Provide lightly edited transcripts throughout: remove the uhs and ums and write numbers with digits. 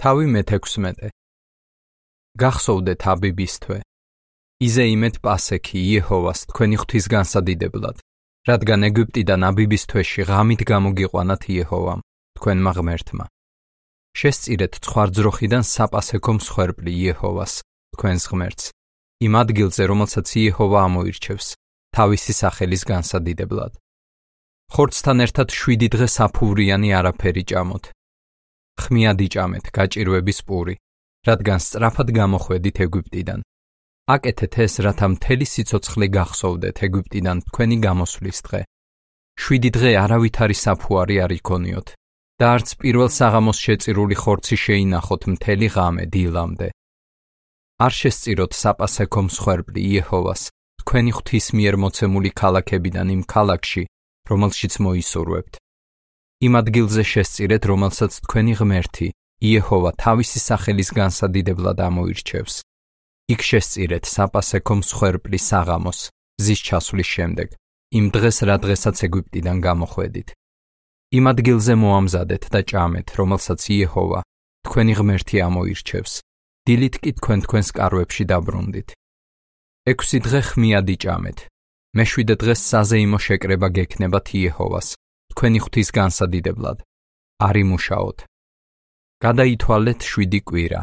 თავი მე-16. გახსოვდეთ აბიბის თვე. იზეიმეთ პასექი იეჰოვას თქვენი ღვთის განსადიდებლად, რადგან ეგვიპტიდან აბიბის თვეში ღამით გამოგიყვანათ იეჰოვამ, თქვენმა ღმერთმა. შესწირეთ ცხვარძროხიდან საპასექო მსხვერპლი იეჰოვას, თქვენს ღმერთს, იმ ადგილზე, რომელსაც იეჰოვა ამოირჩევს, თავისი სახელის განსადიდებლად. ხორცთან ერთად 7 დღე საფუვრიანი არაფერი ჭამოთ. ხმიად იჭამეთ გაჭირვების პური, რადგან სწრაფად გამოხვედით ეგვიპტიდან. აკეთეთ ეს, რათა მთელი სიცოცხლე გახსოვდეთ ეგვიპტიდან თქვენი გამოსვლის დღე. 7 დღე არავითარი საფუარი არ იქონიოთ და არც პირველ საღამოს შეწირული ხორცი შეინახოთ მთელი ღამე დილამდე. არ შესწიროთ საპასექო მსხვერპლი იეჰოვას, თქვენი ღვთის მიერ მოცემული ქალაქებიდან იმ ქალაქში, რომელშიც მოისურვებთ. იმ ადგილზე შესწირეთ, რომელსაც თქვენი ღმერთი, იეჰოვა თავისი სახელის განსადიდებლად ამოირჩევს. იქ შესწირეთ საპასექო მსხვერპლი საღამოს, მზის ჩასვლის შემდეგ, იმ დღეს, რა დღესაც ეგვიპტიდან გამოხვედით. იმ ადგილზე მოამზადეთ და ჭამეთ, რომელსაც იეჰოვა, თქვენი ღმერთი ამოირჩევს. დილით კი თქვენს კარვებში დაბრუნდით. 6 დღე ხმიად იჭამეთ. მე-7 დღეს საზეიმო შეკრება გექნებათ იეჰოვას, თქვენი ღვთის განსადიდებლად. არ იმუშაოთ. გადაითვალეთ 7 კვირა.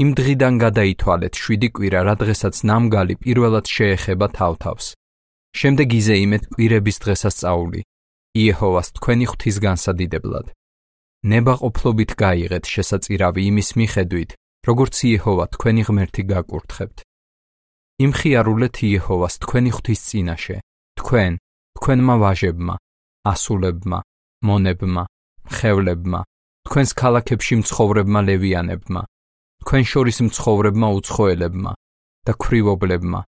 იმ დღიდან გადაითვალეთ 7 კვირა, რა დღესაც ნამგალი პირველად შეეხება თავთავს. შემდეგ იზეიმეთ კვირების დღესასწაული, იეჰოვას თქვენი ღვთის განსადიდებლად. ნებაყოფლობით გაიღეთ შესაწირავი იმის მიხედვით, როგორც იეჰოვა თქვენი ღმერთი გაკურთხებთ. იმხიარულეთ იეჰოვას თქვენი ღვთის წინაშე, თქვენმა ვაჟებმა, ასულებმა, მონებმა, მხევლებმა, თქვენს ქალაქებში მცხოვრებმა ლევიანებმა, თქვენ შორის მცხოვრებმა უცხოელებმა და ქვრივობლებმა,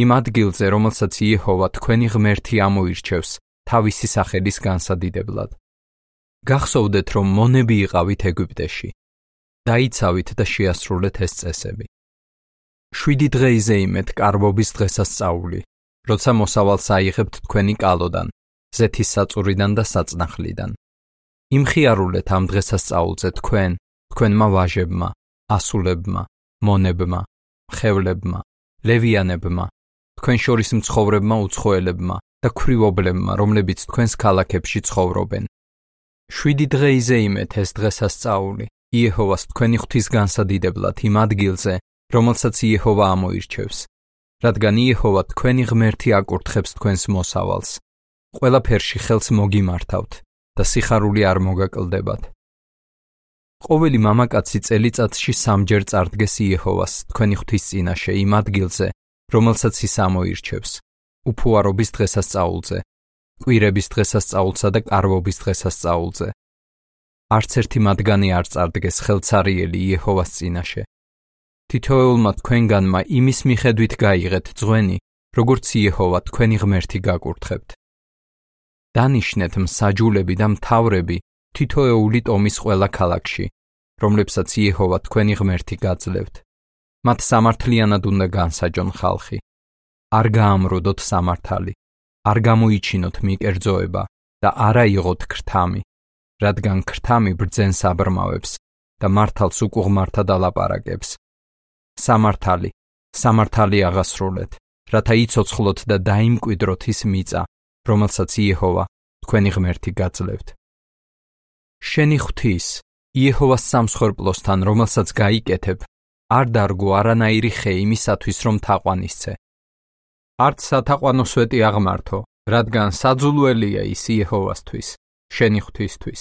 იმ ადგილზე, რომელსაც იეჰოვა თქვენი ღმერთი ამოირჩევს თავისი სახელის განსადიდებლად. გახსოვდეთ, რომ მონები იყავით ეგვიპტეში. დაიცავით და შეასრულეთ ეს წესები. 7 დღე იზეიმეთ კარვობის დღესასწაული, როცა მოსავალს აიღებთ თქვენი კალოდან, ზეთის საწურიდან და საწნახლიდან. იმხიარულეთ ამ დღესასწაულზე თქვენმა ვაჟებმა, ასულებმა, მონებმა, მხევლებმა, ლევიანებმა, თქვენ შორის მცხოვრებმა უცხოელებმა და ქვრივობლებმა, რომლებიც თქვენს ქალაქებში ცხოვრობენ. 7 დღე იზეიმეთ ეს დღესასწაული, იეჰოვას თქვენი ღვთის განსადიდებლად იმ ადგილზე, რომელსაც იეჰოვა ამოირჩევს, რადგან იეჰოვა თქვენი ღმერთი აკურთხებს თქვენს მოსავალს. ყველაფერში ხელს მოგიმართავთ და სიხარული არ მოგაკლდებათ. ყოველი მამაკაცი წელიწადში 3-ჯერ წარდგეს იეჰოვას თქვენი ღვთის წინაშე იმ ადგილზე, რომელსაც ის ამოირჩევს, უფუარობის დღესასწაულზე, კვირების დღესასწაულსა და კარვობის დღესასწაულზე. არც ერთი მათგანი არ წარდგეს ხელცარიელი იეჰოვას წინაშე. თითოეულმა თქვენგანმა იმის მიხედვით გაიღეთ ძღვენი, როგორც იეჰოვა თქვენი ღმერთი გაკურთხებთ. დანიშნეთ მსაჯულები და მთავრები თითოეული ტომის ყველა ქალაქში, რომლებსაც იეჰოვა თქვენი ღმერთი გაძლევთ. მათ სამართლიანად უნდა განსაჯონ ხალხი. არ გაამროდოთ სამართალი, არ გამოიჩინოთ მიკერძოება და არა იღოთ ქრთამი, რადგან ქრთამი ბრძენს აბრმავებს და მართალს უკუღმართად ალაპარაკებს. სამართალი აღასრულეთ, რათა იცოცხლოთ და დაიმკვიდროთ ის მიწა, რომელსაც იეჰოვა თქვენი ღმერთი გაძლევთ. შენი ღვთის, იეჰოვას სამსხვერპლოსთან, რომელსაც გაიკეთებ, არ დარგო არანაირი ხე იმისათვის, რომ თაყვანისცე. არც სათაყვანო სვეტი აღმართო, რადგან საძულველია ის იეჰოვასთვის, შენი ღვთისთვის.